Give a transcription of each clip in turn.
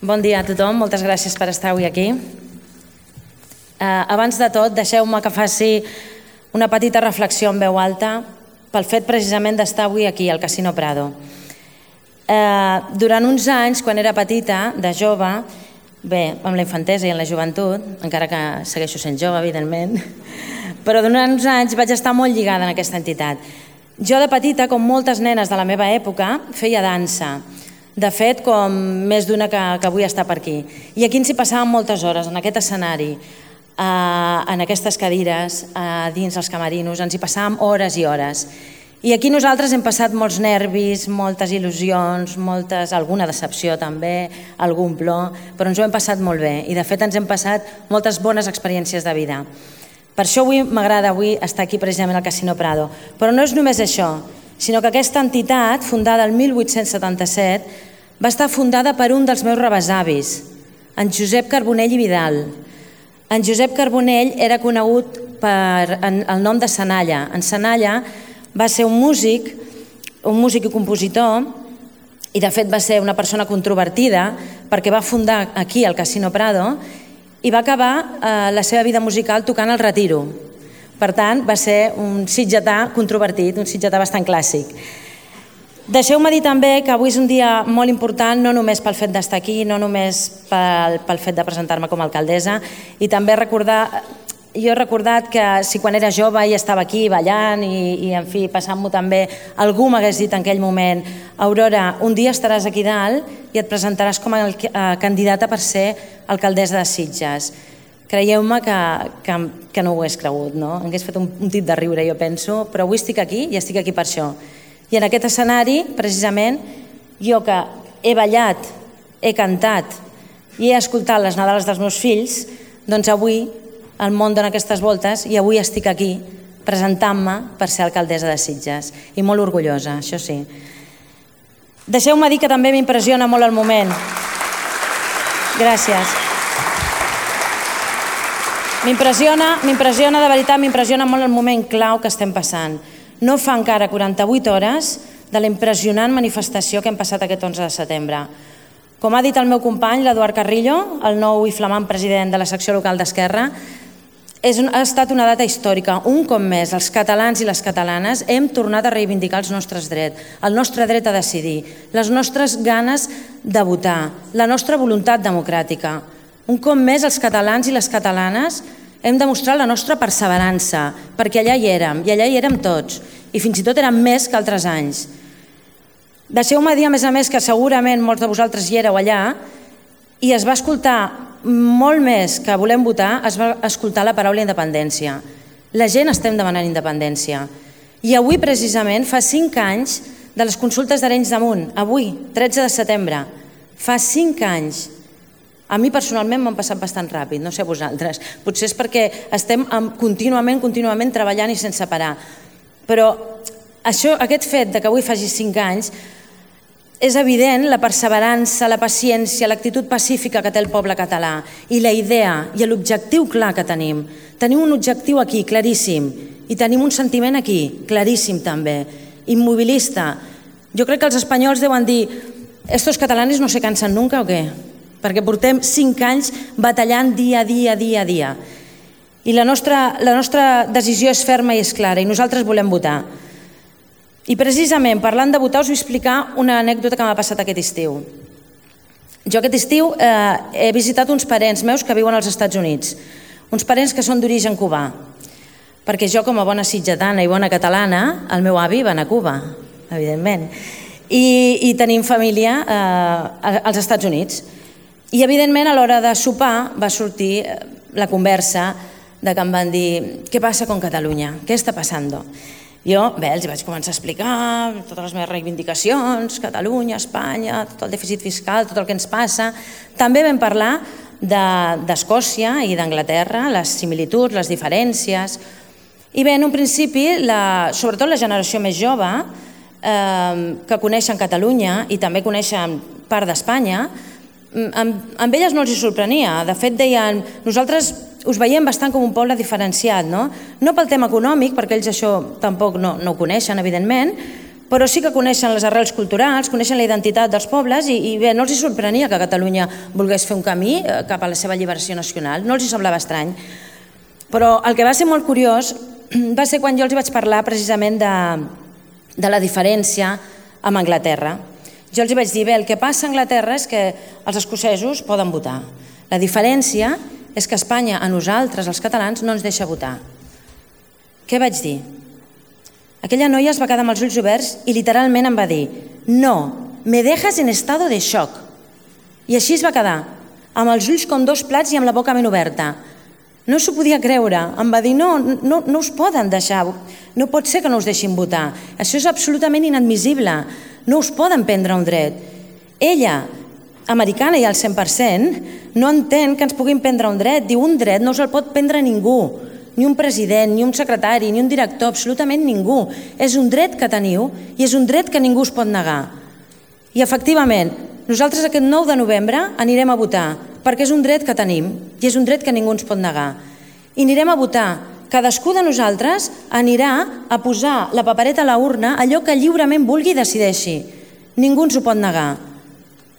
Bon dia a tothom, moltes gràcies per estar avui aquí. Abans de tot, deixeu-me que faci una petita reflexió en veu alta pel fet precisament d'estar avui aquí al Casino Prado. Durant uns anys, quan era petita, de jove, bé, amb la infantesa i en la joventut, encara que segueixo sent jove, evidentment, però durant uns anys vaig estar molt lligada en aquesta entitat. Jo de petita, com moltes nenes de la meva època, feia dansa. De fet, com més d'una que avui està per aquí. I aquí ens hi passàvem moltes hores, en aquest escenari, en aquestes cadires, dins els camerinos, ens hi passàvem hores i hores. I aquí nosaltres hem passat molts nervis, moltes il·lusions, alguna decepció també, algun plor, però ens ho hem passat molt bé i de fet ens hem passat moltes bones experiències de vida. Per això m'agrada avui estar aquí precisament al Casino Prado. Però no és només això, sinó que aquesta entitat, fundada el 1877, va estar fundada per un dels meus rebesavis, en Josep Carbonell i Vidal. En Josep Carbonell era conegut per el nom de Senalla. En Senalla va ser un músic i compositor, i de fet va ser una persona controvertida perquè va fundar aquí el Casino Prado i va acabar la seva vida musical tocant el Retiro. Per tant, va ser un sitgetà controvertit, un sitgetà bastant clàssic. Deixeu-me dir també que avui és un dia molt important, no només pel fet d'estar aquí, no només pel fet de presentar-me com a alcaldessa, i també jo he recordat que si quan era jove i estava aquí ballant i en fi, passant-m'ho també, algú m'hagués dit en aquell moment: Aurora, un dia estaràs aquí dalt i et presentaràs com a candidata per ser alcaldessa de Sitges. Creieu-me que no ho hagués cregut, no? Hagués fet un tip de riure, jo penso, però avui estic aquí i estic aquí per això. I en aquest escenari, precisament, jo que he ballat, he cantat i he escoltat les Nadales dels meus fills, doncs avui el món dona aquestes voltes i avui estic aquí presentant-me per ser alcaldessa de Sitges. I molt orgullosa, això sí. Deixeu-me dir que també m'impressiona molt el moment. Gràcies. M'impressiona, de veritat, m'impressiona molt el moment clau que estem passant. No fa encara 48 hores de la impressionant manifestació que hem passat aquest 11 de setembre. Com ha dit el meu company, l'Eduard Carrillo, el nou i flamant president de la secció local d'Esquerra, ha estat una data històrica. Un cop més, els catalans i les catalanes hem tornat a reivindicar els nostres drets, el nostre dret a decidir, les nostres ganes de votar, la nostra voluntat democràtica. Un cop més, els catalans i les catalanes hem demostrat la nostra perseverança, perquè allà hi érem tots, i fins i tot érem més que altres anys. Deixeu-me dir, a més, que segurament molts de vosaltres hi éreu allà i es va escoltar molt més que volem votar, es va escoltar la paraula independència. La gent estem demanant independència. I avui, precisament, fa 5 anys de les consultes d'Arenys de Munt, avui, 13 de setembre, fa 5 anys. A mi personalment m'han passat bastant ràpid, no sé vosaltres. Potser és perquè estem contínuament treballant i sense parar. Però aquest fet que avui faci 5 anys és evident la perseverança, la paciència, l'actitud pacífica que té el poble català i la idea i l'objectiu clar que tenim. Tenim un objectiu aquí, claríssim, i tenim un sentiment aquí, claríssim també, immobilista. Jo crec que els espanyols deuen dir: ¿estos catalanes no se cansen nunca o què? Perquè portem 5 anys batallant dia a dia. I la nostra decisió és ferma i és clara, i nosaltres volem votar. I precisament, parlant de votar, us vull explicar una anècdota que m'ha passat aquest estiu. Jo aquest estiu he visitat uns parents meus que viuen als Estats Units, uns parents que són d'origen cubà, perquè jo, com a bona sitgetana i bona catalana, el meu avi va anar a Cuba, evidentment, i tenim família als Estats Units. I, evidentment, a l'hora de sopar va sortir la conversa de que em van dir: «¿Qué pasa con Cataluña? ¿Qué está pasando?». Jo, els vaig començar a explicar totes les meves reivindicacions, Catalunya, Espanya, tot el dèficit fiscal, tot el que ens passa. També vam parlar d'Escòcia i d'Anglaterra, les similituds, les diferències. I bé, en un principi, sobretot la generació més jove, que coneixen Catalunya i també coneixen part d'Espanya, amb elles no els hi sorprenia. De fet, deien: nosaltres us veiem bastant com un poble diferenciat, no pel tema econòmic, perquè ells això tampoc no ho coneixen, evidentment, però sí que coneixen les arrels culturals, coneixen la identitat dels pobles i bé, no els sorprenia que Catalunya volgués fer un camí cap a la seva alliberació nacional, no els semblava estrany. Però el que va ser molt curiós va ser quan jo els vaig parlar precisament de la diferència amb Anglaterra. Jo els vaig dir, bé, el que passa a Anglaterra és que els escocesos poden votar. La diferència és que Espanya, a nosaltres, els catalans, no ens deixa votar. Què vaig dir? Aquella noia es va quedar amb els ulls oberts i literalment em va dir «No, me dejas en estado de shock». I així es va quedar, amb els ulls com dos plats i amb la boca ben oberta. No s'ho podia creure. Em va dir no us poden deixar, no pot ser que no us deixin votar. Això és absolutament inadmissible. No us poden prendre un dret. Ella, americana i al 100%, no entén que ens puguin prendre un dret. Diu, un dret no se'l pot prendre ningú. Ni un president, ni un secretari, ni un director, absolutament ningú. És un dret que teniu i és un dret que ningú us pot negar. I efectivament, nosaltres aquest 9 de novembre anirem a votar perquè és un dret que tenim i és un dret que ningú ens pot negar. I anirem a votar. Cadascú de nosaltres anirà a posar la papereta a la urna allò que lliurement vulgui i decideixi. Ningú ens ho pot negar.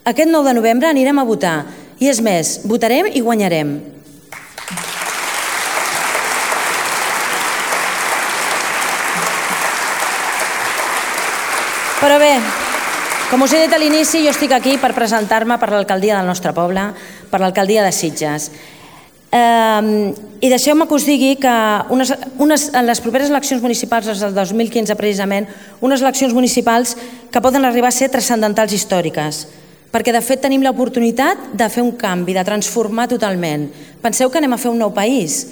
Aquest 9 de novembre anirem a votar i és més, votarem i guanyarem. Però bé, com us he dit a l'inici, jo estic aquí per presentar-me per l'alcaldia del nostre poble, per l'alcaldia de Sitges. I deixeu-me que us digui que en les properes eleccions municipals, les del 2015 precisament, unes eleccions municipals que poden arribar a ser transcendentals històriques, perquè de fet tenim l'oportunitat de fer un canvi, de transformar totalment. Penseu que anem a fer un nou país.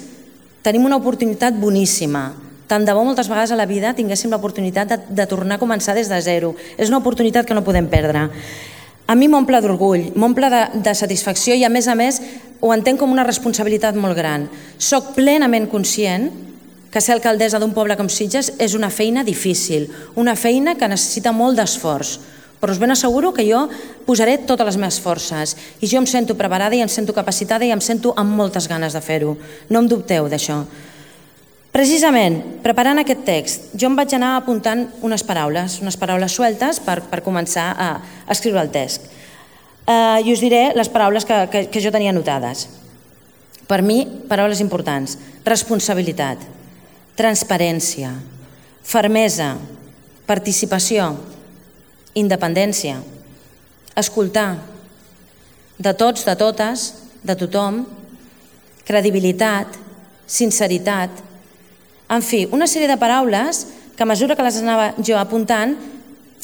Tenim una oportunitat boníssima. Tant de bo moltes vegades a la vida tinguéssim l'oportunitat de tornar a començar des de zero. És una oportunitat que no podem perdre. A mi m'omple d'orgull, m'omple de satisfacció i a més ho entenc com una responsabilitat molt gran. Soc plenament conscient que ser alcaldessa d'un poble com Sitges és una feina difícil, una feina que necessita molt d'esforç, però us ben asseguro que jo posaré totes les meves forces i jo em sento preparada i em sento capacitada i em sento amb moltes ganes de fer-ho. No en dubteu d'això. Precisament, preparant aquest text, jo em vaig anar apuntant unes paraules sueltes per començar a escriure el text. I us diré les paraules que jo tenia anotades. Per mi, paraules importants. Responsabilitat, transparència, fermesa, participació, independència, escoltar, de tots, de totes, de tothom, credibilitat, sinceritat. En fi, una sèrie de paraules que a mesura que les anava jo apuntant,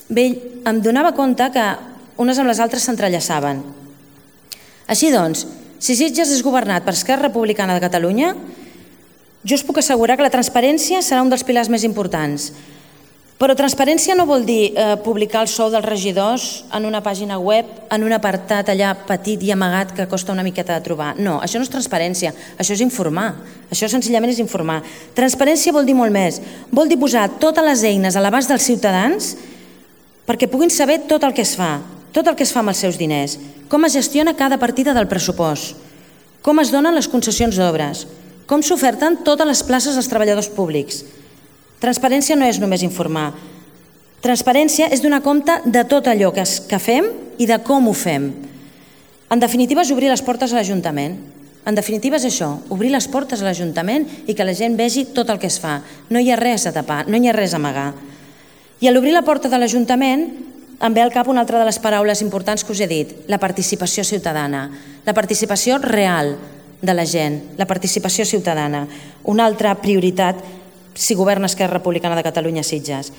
em donava compte que unes amb les altres s'entrellaçaven. Així doncs, si Sitges és governat per Esquerra Republicana de Catalunya, jo us puc assegurar que la transparència serà un dels pilars més importants. Però transparència no vol dir publicar el sou dels regidors en una pàgina web, en un apartat allà petit i amagat que costa una miqueta de trobar. No, això no és transparència, això és informar. Això senzillament és informar. Transparència vol dir molt més. Vol dir posar totes les eines a l'abast dels ciutadans perquè puguin saber tot el que es fa amb els seus diners, com es gestiona cada partida del pressupost, com es donen les concessions d'obres, com s'oferten totes les places als treballadors públics. Transparència no és només informar. Transparència és donar compte de tot allò que fem i de com ho fem. En definitiva, és obrir les portes a l'Ajuntament. En definitiva, és això, obrir les portes a l'Ajuntament i que la gent vegi tot el que es fa. No hi ha res a tapar, no hi ha res a amagar. I a l'obrir la porta de l'Ajuntament em ve al cap una altra de les paraules importants que us he dit, la participació ciutadana, la participació real de la gent, la participació ciutadana. Una altra prioritat si governa Esquerra Republicana de Catalunya a Sitges.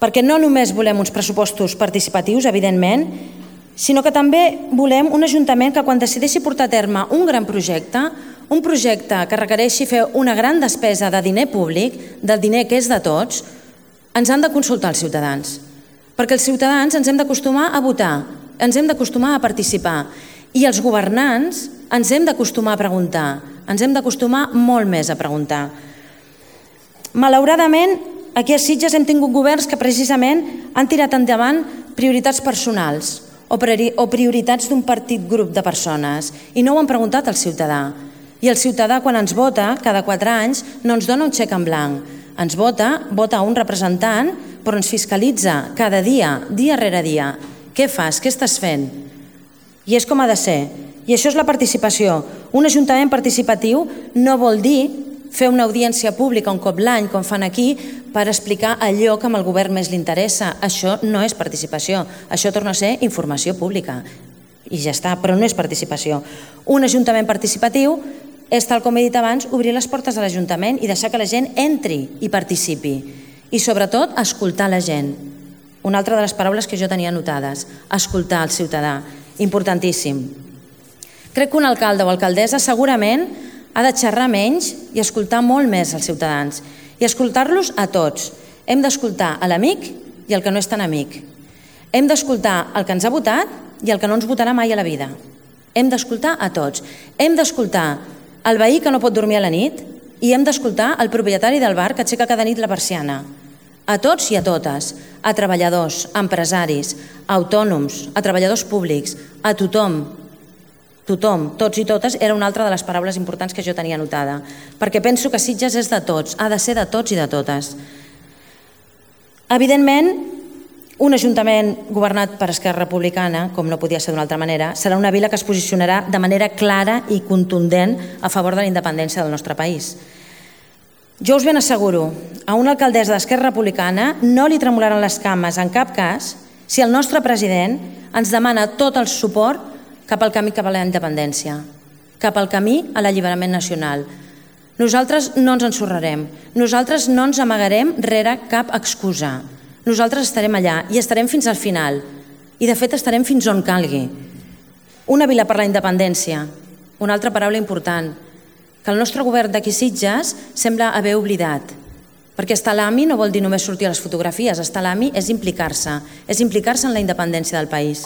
Perquè no només volem uns pressupostos participatius, evidentment, sinó que també volem un ajuntament que quan decideixi portar a terme un gran projecte, un projecte que requereixi fer una gran despesa de diner públic, del diner que és de tots, ens han de consultar els ciutadans. Perquè els ciutadans ens hem d'acostumar a votar, ens hem d'acostumar a participar i els governants ens hem d'acostumar a preguntar, ens hem d'acostumar molt més a preguntar. Malauradament, aquí a Sitges hem tingut governs que precisament han tirat endavant prioritats personals o prioritats d'un petit grup de persones i no ho han preguntat al ciutadà. I el ciutadà, quan ens vota, cada 4 anys, no ens dona un xec en blanc. Ens vota un representant però ens fiscalitza cada dia, dia rere dia. Què fas? Què estàs fent? I és com ha de ser. I això és la participació. Un ajuntament participatiu no vol dir fer una audiència pública un cop l'any, com fan aquí, per explicar allò que al govern més li interessa. Això no és participació. Això torna a ser informació pública. I ja està, però no és participació. Un ajuntament participatiu és, tal com he dit abans, obrir les portes de l'Ajuntament i deixar que la gent entri i participi. I sobretot, escoltar la gent. Una altra de les paraules que jo tenia anotades. Escoltar el ciutadà. Importantíssim. Crec que un alcalde o alcaldessa segurament ha de xerrar menys i escoltar molt més els ciutadans. I escoltar-los a tots. Hem d'escoltar a l'amic i el que no és tan amic. Hem d'escoltar el que ens ha votat i el que no ens votarà mai a la vida. Hem d'escoltar a tots. Hem d'escoltar el veí que no pot dormir a la nit i hem d'escoltar el propietari del bar que aixeca cada nit la persiana. A tots i a totes, a treballadors, a empresaris, a autònoms, a treballadors públics, a tothom. Tothom, tots i totes, era una altra de les paraules importants que jo tenia anotada, perquè penso que Sitges és de tots, ha de ser de tots i de totes. Evidentment, un ajuntament governat per Esquerra Republicana, com no podia ser d'una altra manera, serà una vila que es posicionarà de manera clara i contundent a favor de la independència del nostre país. Jo us ben asseguro, a una alcaldessa d'Esquerra Republicana no li tremolaran les cames en cap cas si el nostre president ens demana tot el suport cap al camí cap a la independència, cap al camí a l'alliberament nacional. Nosaltres no ens ensorrarem, nosaltres no ens amagarem rere cap excusa. Nosaltres estarem allà i estarem fins al final. I de fet estarem fins on calgui. Una vila per la independència, una altra paraula important, que el nostre govern d'aquí Sitges sembla haver oblidat. Perquè estar a l'AMI no vol dir només sortir a les fotografies, estar a l'AMI és implicar-se en la independència del país.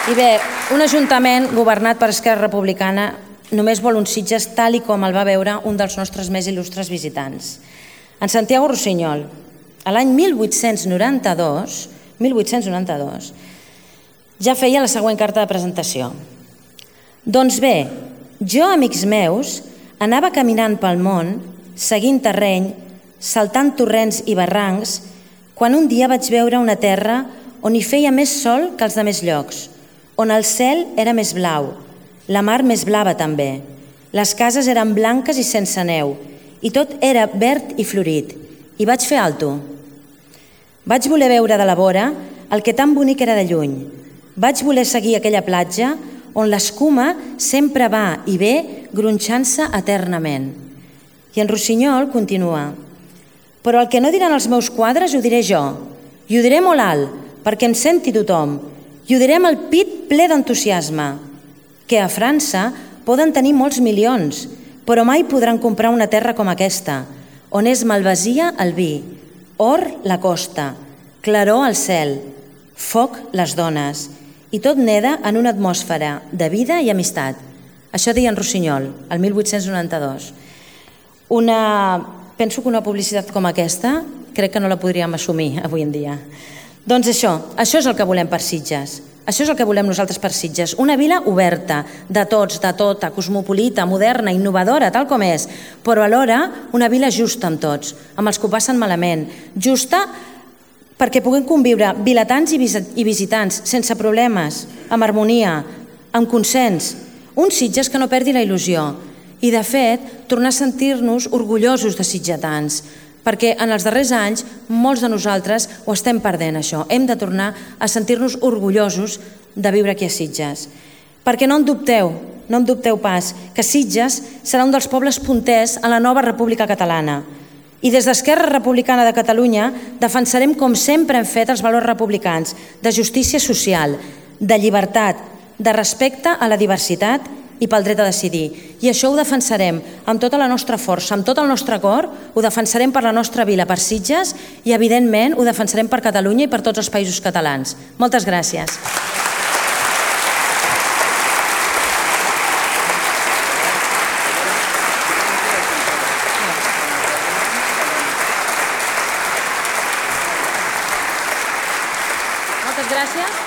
I bé, un ajuntament governat per Esquerra Republicana només vol un Sitges tal i com el va veure un dels nostres més il·lustres visitants. En Santiago Rusiñol, a l'any 1892, ja feia la següent carta de presentació. Doncs bé, jo, amics meus, anava caminant pel món, seguint terreny, saltant torrents i barrancs, quan un dia vaig veure una terra on hi feia més sol que els de més llocs, on el cel era més blau, la mar més blava també, les cases eren blanques i sense neu, i tot era verd i florit, i vaig fer alto. Vaig voler veure de la vora el que tan bonic era de lluny. Vaig voler seguir aquella platja on l'escuma sempre va i ve gronxant-se eternament. I en Rusiñol continua: però el que no diran els meus quadres ho diré jo, i ho diré molt alt, perquè em senti tothom, i ho diré amb el pit ple d'entusiasme, que a França poden tenir molts milions, però mai podran comprar una terra com aquesta, on és malvasia el vi, or la costa, claror al cel, foc les dones, i tot neda en una atmosfera de vida i amistat. Això deia en Rusiñol, el 1892. Penso que una publicitat com aquesta crec que no la podríem assumir avui en dia. Doncs això és el que volem per Sitges. Això és el que volem nosaltres per Sitges. Una vila oberta, de tots, de tota, cosmopolita, moderna, innovadora, tal com és, però alhora una vila justa amb tots, amb els que ho passen malament. Justa perquè puguem conviure vilatans i visitants sense problemes, amb harmonia, amb consens. Un Sitges que no perdi la il·lusió. I, de fet, tornar a sentir-nos orgullosos de sitgetans, perquè en els darrers anys molts de nosaltres ho estem perdent, això. Hem de tornar a sentir-nos orgullosos de viure aquí a Sitges. Perquè no en dubteu pas, que Sitges serà un dels pobles punters a la nova República Catalana. I des d'Esquerra Republicana de Catalunya defensarem, com sempre hem fet, els valors republicans de justícia social, de llibertat, de respecte a la diversitat i pel dret a decidir. I això ho defensarem amb tota la nostra força, amb tot el nostre cor, ho defensarem per la nostra vila, per Sitges, i evidentment ho defensarem per Catalunya i per tots els països catalans. Moltes gràcies. Moltes gràcies.